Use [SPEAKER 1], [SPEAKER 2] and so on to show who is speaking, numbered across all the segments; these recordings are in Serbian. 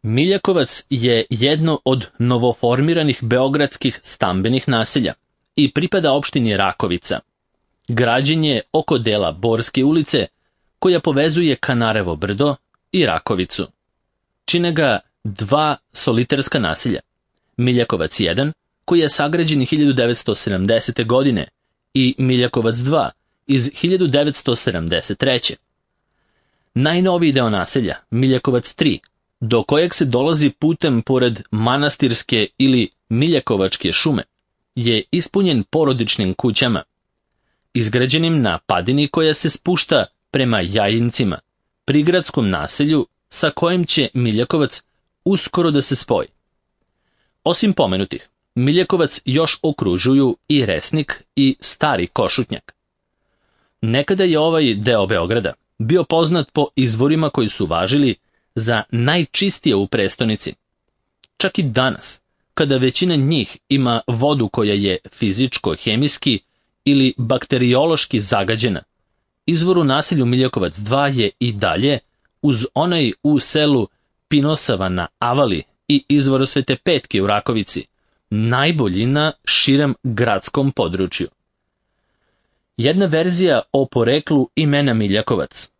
[SPEAKER 1] Miljakovac je jedno od novoformiranih beogradskih stambenih naselja i pripada opštini Rakovica. Građen je oko dela Borske ulice, koja povezuje Kanarevo brdo i Rakovicu. Čine ga dva soliterska naselja. Miljakovac 1, koji je sagrađen 1970. godine, i Miljakovac 2 iz 1973. Najnoviji deo naselja, Miljakovac 3, do kojeg se dolazi putem pored manastirske ili Miljakovačke šume, je ispunjen porodičnim kućama, izgrađenim na padini koja se spušta prema Jajincima, prigradskom naselju sa kojim će Miljakovac uskoro da se spoji. Osim pomenutih, Miljakovac još okružuju i Resnik i Stari Košutnjak. Nekada je ovaj deo Beograda bio poznat po izvorima koji su važili za najčistije u prestonici. Čak i danas, kada većina njih ima vodu koja je fizičko-hemijski ili bakteriološki zagađena, izvor u naselju Miljakovac 2 je i dalje, uz onaj u selu Pinosava na Avali i izvor Svete Petke u Rakovici, najbolji na širem gradskom području. Jedna verzija o poreklu imena Miljakovac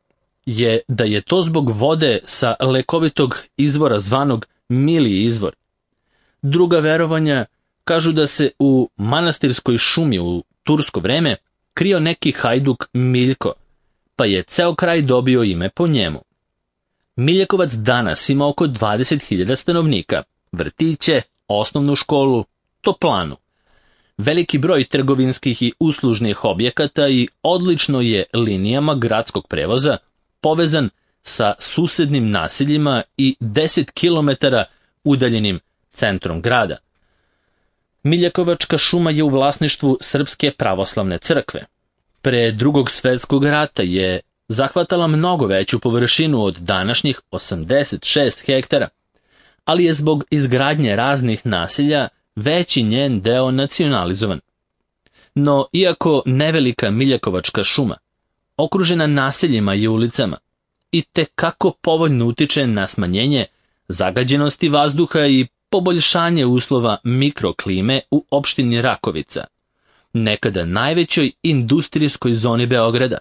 [SPEAKER 1] je da je to zbog vode sa lekovitog izvora zvanog Miliji izvor. Druga verovanja kažu da se u manastirskoj šumi u tursko vreme krio neki hajduk Miljko, pa je ceo kraj dobio ime po njemu. Miljakovac danas ima oko 20.000 stanovnika, vrtiće, osnovnu školu, toplanu, veliki broj trgovinskih i uslužnih objekata i odlično je linijama gradskog prevoza povezan sa susednim naseljima i 10 km udaljenim centrom grada. Miljakovačka šuma je u vlasništvu Srpske pravoslavne crkve. Pre Drugog svetskog rata je zahvatala mnogo veću površinu od današnjih 86 hektara, ali je zbog izgradnje raznih naselja veći njen deo nacionalizovan. No, iako nevelika Miljakovačka šuma, okružena naseljima i ulicama, i tekako povoljno utiče na smanjenje zagađenosti vazduha i poboljšanje uslova mikroklime u opštini Rakovica, nekada najvećoj industrijskoj zoni Beograda,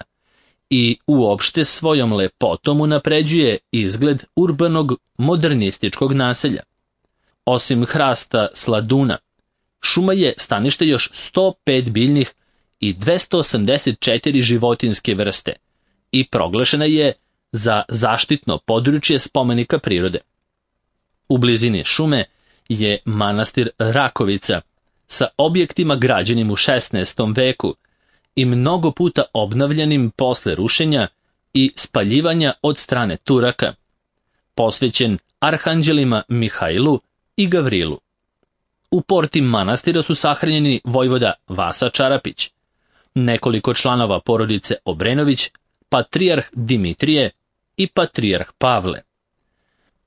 [SPEAKER 1] i uopšte svojom lepotom unapređuje izgled urbanog modernističkog naselja. Osim hrasta sladuna, šuma je stanište još 105 biljnih i 284 životinjske vrste i proglašena je za zaštitno područje spomenika prirode. U blizini šume je manastir Rakovica sa objektima građenim u 16. veku i mnogo puta obnavljanim posle rušenja i spaljivanja od strane Turaka, posvećen arhanđelima Mihajlu i Gavrilu. U porti manastira su sahranjeni vojvoda Vasa Čarapić, nekoliko članova porodice Obrenović, patrijarh Dimitrije i patrijarh Pavle.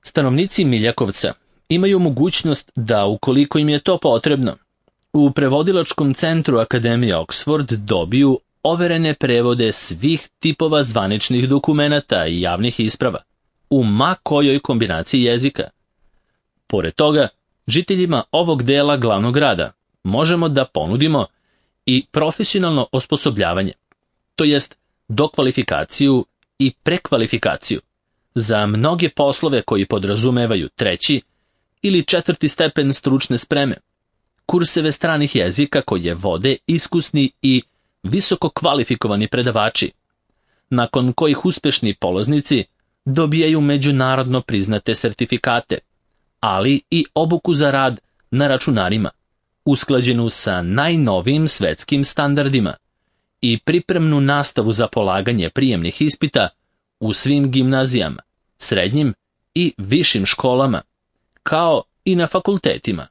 [SPEAKER 1] Stanovnici Miljakovca imaju mogućnost da, ukoliko im je to potrebno, u prevodilačkom centru Akademije Oxford dobiju overene prevode svih tipova zvaničnih dokumenata i javnih isprava, u ma kojoj kombinaciji jezika. Pored toga, žiteljima ovog dela glavnog grada možemo da ponudimo i profesionalno osposobljavanje, to jest dokvalifikaciju i prekvalifikaciju za mnoge poslove koji podrazumevaju 3. ili 4. stepen stručne spreme, kurseve stranih jezika koje vode iskusni i visoko kvalifikovani predavači, nakon kojih uspešni polaznici dobijaju međunarodno priznate sertifikate, ali i obuku za rad na računarima, usklađenu sa najnovijim svetskim standardima, i pripremnu nastavu za polaganje prijemnih ispita u svim gimnazijama, srednjim i višim školama, kao i na fakultetima.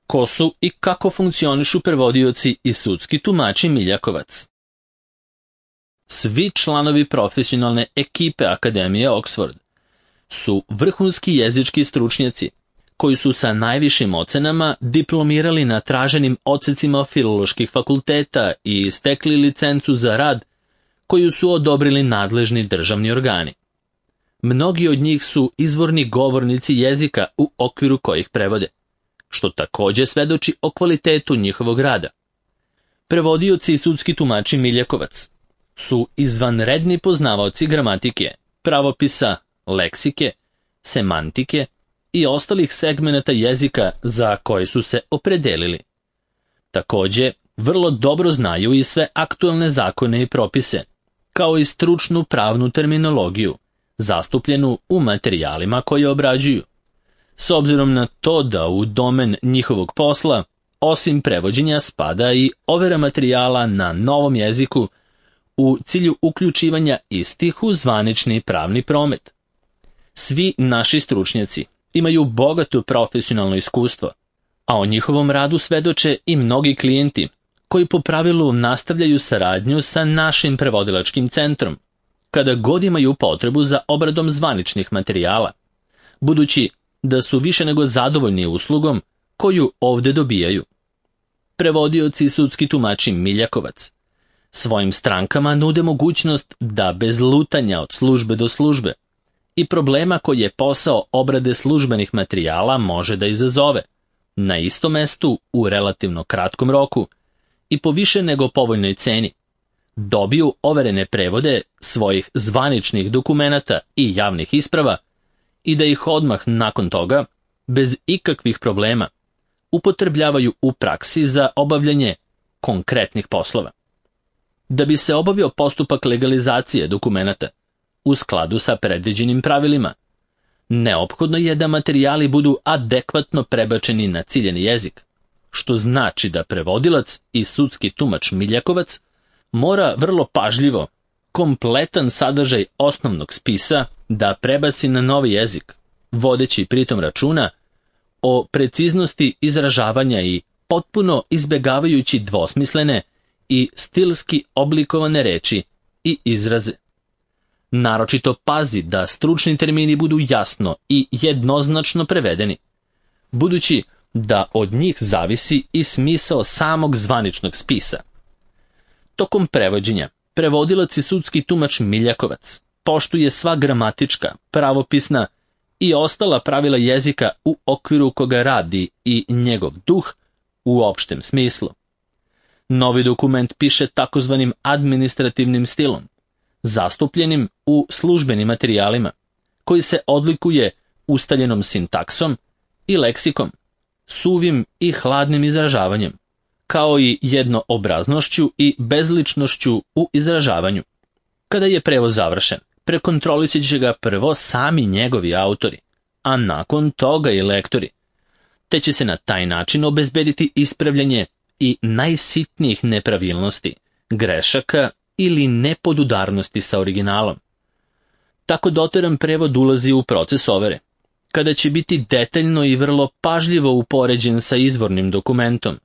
[SPEAKER 1] Ko su i kako funkcionišu prevodioci i sudski tumači Miljakovac? Svi članovi profesionalne ekipe Akademije Oxford su vrhunski jezički stručnjaci koji su sa najvišim ocenama diplomirali na traženim odsecima filoloških fakulteta i stekli licencu za rad koju su odobrili nadležni državni organi. Mnogi od njih su izvorni govornici jezika u okviru kojih prevode, što također svedoči o kvalitetu njihovog rada. Prevodioci i sudski tumači Miljakovac su izvanredni poznavaoci gramatike, pravopisa, leksike, semantike i ostalih segmenata jezika za koje su se opredelili. Također, vrlo dobro znaju i sve aktualne zakone i propise, kao i stručnu pravnu terminologiju, zastupljenu u materijalima koje obrađuju. S obzirom na to da u domen njihovog posla, osim prevođenja, spada i overa materijala na novom jeziku u cilju uključivanja istih u zvanični pravni promet. Svi naši stručnjaci imaju bogato profesionalno iskustvo, a o njihovom radu svedoče i mnogi klijenti koji po pravilu nastavljaju saradnju sa našim prevodilačkim centrom, kada god imaju potrebu za obradom zvaničnih materijala, budući da su više nego zadovoljni uslugom koju ovdje dobijaju. Prevodioci i sudski tumači Miljakovac svojim strankama nude mogućnost da bez lutanja od službe do službe i problema koji je posao obrade službenih materijala može da izazove, na istom mestu u relativno kratkom roku i po više nego povoljnoj ceni, dobiju overene prevode svojih zvaničnih dokumenata i javnih isprava i da ih odmah nakon toga, bez ikakvih problema, upotrebljavaju u praksi za obavljanje konkretnih poslova. Da bi se obavio postupak legalizacije dokumenata u skladu sa predviđenim pravilima, neophodno je da materijali budu adekvatno prebačeni na ciljeni jezik, što znači da prevodilac i sudski tumač Miljakovac mora vrlo pažljivo kompletan sadržaj osnovnog spisa da prebaci na novi jezik, vodeći pritom računa o preciznosti izražavanja i potpuno izbjegavajući dvosmislene i stilski oblikovane reči i izraze. Naročito pazi da stručni termini budu jasno i jednoznačno prevedeni, budući da od njih zavisi i smisao samog zvaničnog spisa. Tokom prevođenja, prevodilac i sudski tumač Miljakovac poštuje sva gramatička, pravopisna i ostala pravila jezika u okviru koga radi i njegov duh u opštem smislu. Novi dokument piše takozvanim administrativnim stilom, zastupljenim u službenim materijalima, koji se odlikuje ustaljenom sintaksom i leksikom, suvim i hladnim izražavanjem, kao i jednoobraznošću i bezličnošću u izražavanju. Kada je prevod završen, prekontrolisat će ga prvo sami njegovi autori, a nakon toga i lektori, te će se na taj način obezbediti ispravljanje i najsitnijih nepravilnosti, grešaka ili nepodudarnosti sa originalom. Tako doteran prevod ulazi u proces overe, kada će biti detaljno i vrlo pažljivo upoređen sa izvornim dokumentom,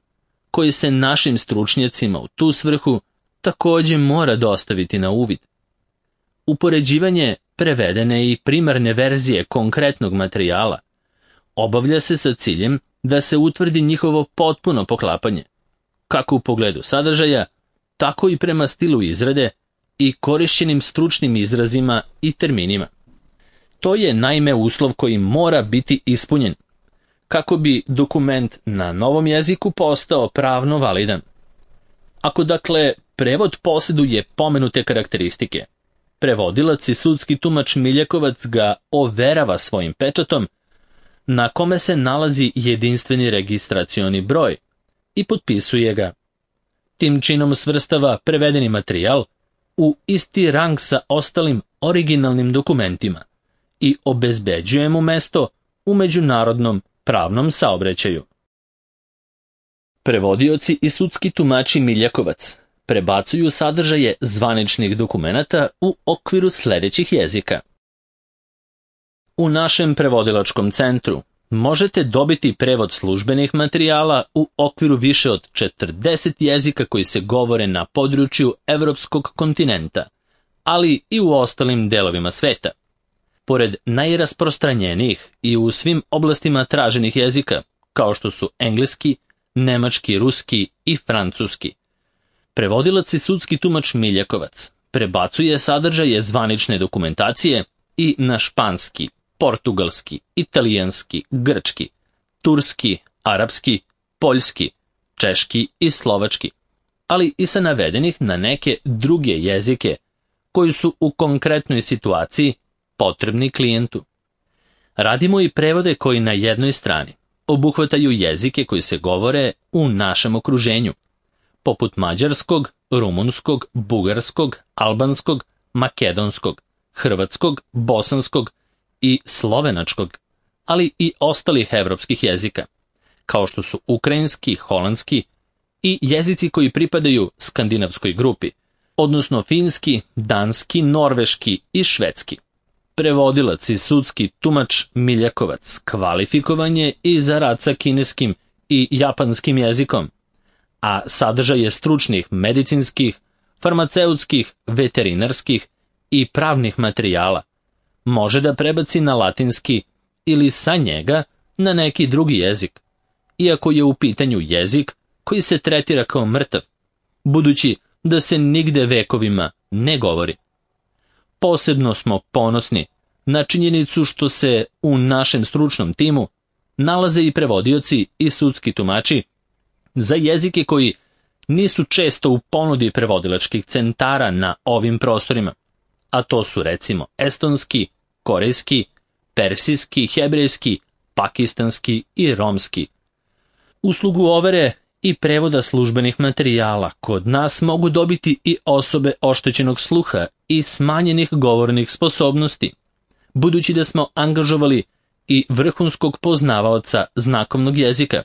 [SPEAKER 1] koji se našim stručnjacima u tu svrhu također mora dostaviti na uvid. Upoređivanje prevedene i primarne verzije konkretnog materijala obavlja se sa ciljem da se utvrdi njihovo potpuno poklapanje, kako u pogledu sadržaja, tako i prema stilu izrade i korišćenim stručnim izrazima i terminima. To je naime uslov koji mora biti ispunjen, kako bi dokument na novom jeziku postao pravno validan. Ako dakle prevod posjeduje pomenute karakteristike, prevodilac i sudski tumač Miljakovac ga overava svojim pečatom, na kome se nalazi jedinstveni registracioni broj, i potpisuje ga. Tim činom svrstava prevedeni materijal u isti rang sa ostalim originalnim dokumentima i obezbeđuje mu mesto u međunarodnom pravnom saobraćaju. Prevodioci i sudski tumači Miljakovac prebacuju sadržaje zvaničnih dokumenata u okviru sljedećih jezika. U našem prevodilačkom centru možete dobiti prevod službenih materijala u okviru više od 40 jezika koji se govore na području evropskog kontinenta, ali i u ostalim delovima sveta. Pored najrasprostranjenijih i u svim oblastima traženih jezika, kao što su engleski, nemački, ruski i francuski, prevodilac i sudski tumač Miljakovac prebacuje sadržaje zvanične dokumentacije i na španski, portugalski, italijanski, grčki, turski, arapski, poljski, češki i slovački, ali i sa navedenih na neke druge jezike koji su u konkretnoj situaciji potrebni klijentu. Radimo i prevode koji na jednoj strani obuhvataju jezike koji se govore u našem okruženju, poput mađarskog, rumunskog, bugarskog, albanskog, makedonskog, hrvatskog, bosanskog i slovenačkog, ali i ostalih evropskih jezika, kao što su ukrajinski, holandski i jezici koji pripadaju skandinavskoj grupi, odnosno finski, danski, norveški i švedski. Prevodilac i sudski tumač Miljakovac kvalifikovan je i za rad sa kineskim i japanskim jezikom, a sadržaj je stručnih medicinskih, farmaceutskih, veterinarskih i pravnih materijala. Može da prebaci na latinski ili sa njega na neki drugi jezik, iako je u pitanju jezik koji se tretira kao mrtav, budući da se nigde vekovima ne govori. Posebno smo ponosni na činjenicu što se u našem stručnom timu nalaze i prevodioci i sudski tumači za jezike koji nisu često u ponudi prevodilačkih centara na ovim prostorima, a to su recimo estonski, korejski, persijski, hebrejski, pakistanski i romski. Uslugu overe i prevoda službenih materijala kod nas mogu dobiti i osobe oštećenog sluha i smanjenih govornih sposobnosti, budući da smo angažovali i vrhunskog poznavaoca znakovnog jezika,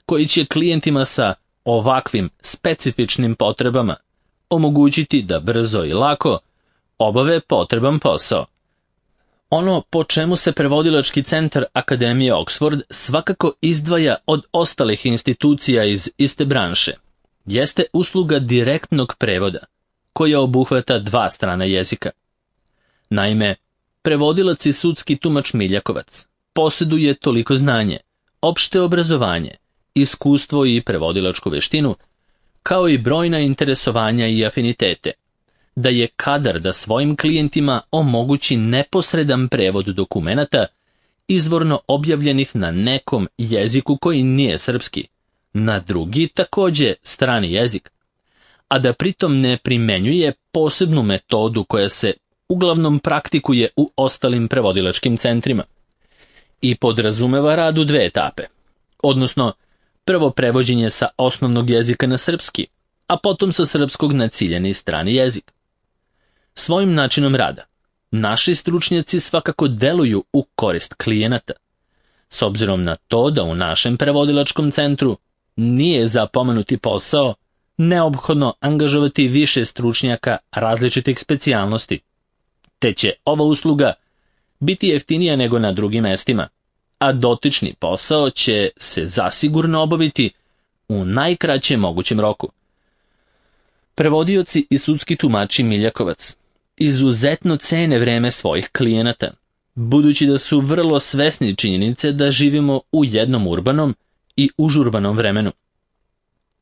[SPEAKER 1] koji će klijentima sa ovakvim specifičnim potrebama omogućiti da brzo i lako obave potreban posao. Ono po čemu se prevodilački centar Akademije Oxford svakako izdvaja od ostalih institucija iz iste branše, jeste usluga direktnog prevoda, koja obuhvata dva strana jezika. Naime, prevodilac i sudski tumač Miljakovac posjeduje toliko znanje, opšte obrazovanje, iskustvo i prevodilačku veštinu, kao i brojna interesovanja i afinitete, da je kadar da svojim klijentima omogući neposredan prevod dokumenata izvorno objavljenih na nekom jeziku koji nije srpski, na drugi takođe strani jezik, a da pritom ne primenjuje posebnu metodu koja se uglavnom praktikuje u ostalim prevodilačkim centrima i podrazumeva rad u dve etape, odnosno prvo prevođenje sa osnovnog jezika na srpski, a potom sa srpskog na ciljani strani jezik. Svojim načinom rada, naši stručnjaci svakako deluju u korist klijenata, s obzirom na to da u našem prevodilačkom centru nije za pomenuti posao neophodno angažovati više stručnjaka različitih specijalnosti, te će ova usluga biti jeftinija nego na drugim mestima, a dotični posao će se zasigurno obaviti u najkraćem mogućem roku. Prevodioci i sudski tumači Miljakovac izuzetno cene vreme svojih klijenata, budući da su vrlo svesni činjenice da živimo u jednom urbanom i užurbanom vremenu.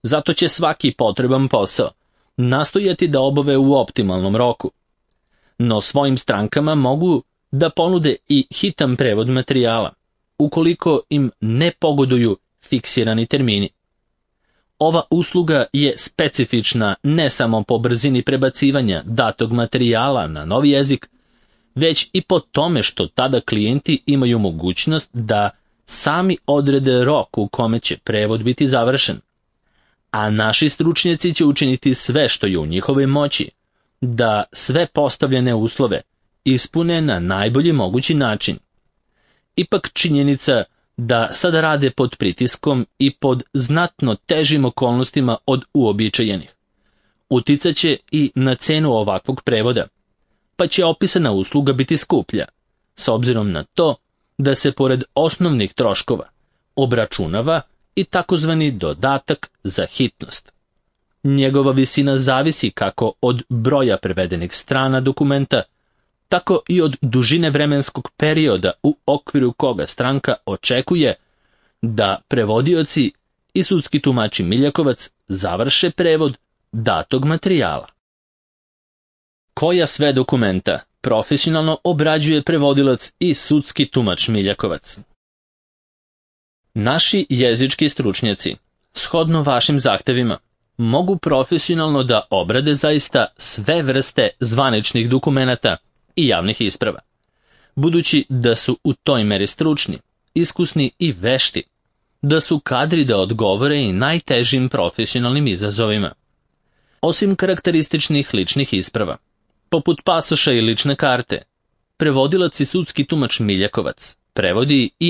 [SPEAKER 1] Zato će svaki potreban posao nastojati da obave u optimalnom roku, no svojim strankama mogu da ponude i hitan prevod materijala, ukoliko im ne pogoduju fiksirani termini. Ova usluga je specifična ne samo po brzini prebacivanja datog materijala na novi jezik, već i po tome što tada klijenti imaju mogućnost da sami odrede rok u kome će prevod biti završen, a naši stručnjaci će učiniti sve što je u njihovoj moći da sve postavljene uslove ispune na najbolji mogući način. Ipak činjenica da sada rade pod pritiskom i pod znatno težim okolnostima od uobičajenih uticaće i na cenu ovakvog prevoda, pa će opisana usluga biti skuplja, s obzirom na to da se pored osnovnih troškova obračunava i takozvani dodatak za hitnost. Njegova visina zavisi kako od broja prevedenih strana dokumenta, tako i od dužine vremenskog perioda u okviru koga stranka očekuje da prevodioci i sudski tumači Miljakovac završe prevod datog materijala. Koja sve dokumenta profesionalno obrađuje prevodilac i sudski tumač Miljakovac. Naši jezički stručnjaci, shodno vašim zahtevima, mogu profesionalno da obrade zaista sve vrste zvaničnih dokumenata i javnih isprava, budući da su u toj meri stručni, iskusni i vešti, da su kadri da odgovore i najtežim profesionalnim izazovima. Osim karakterističnih ličnih isprava, poput pasoša i lične karte, prevodilac i sudski tumač Miljakovac prevodi i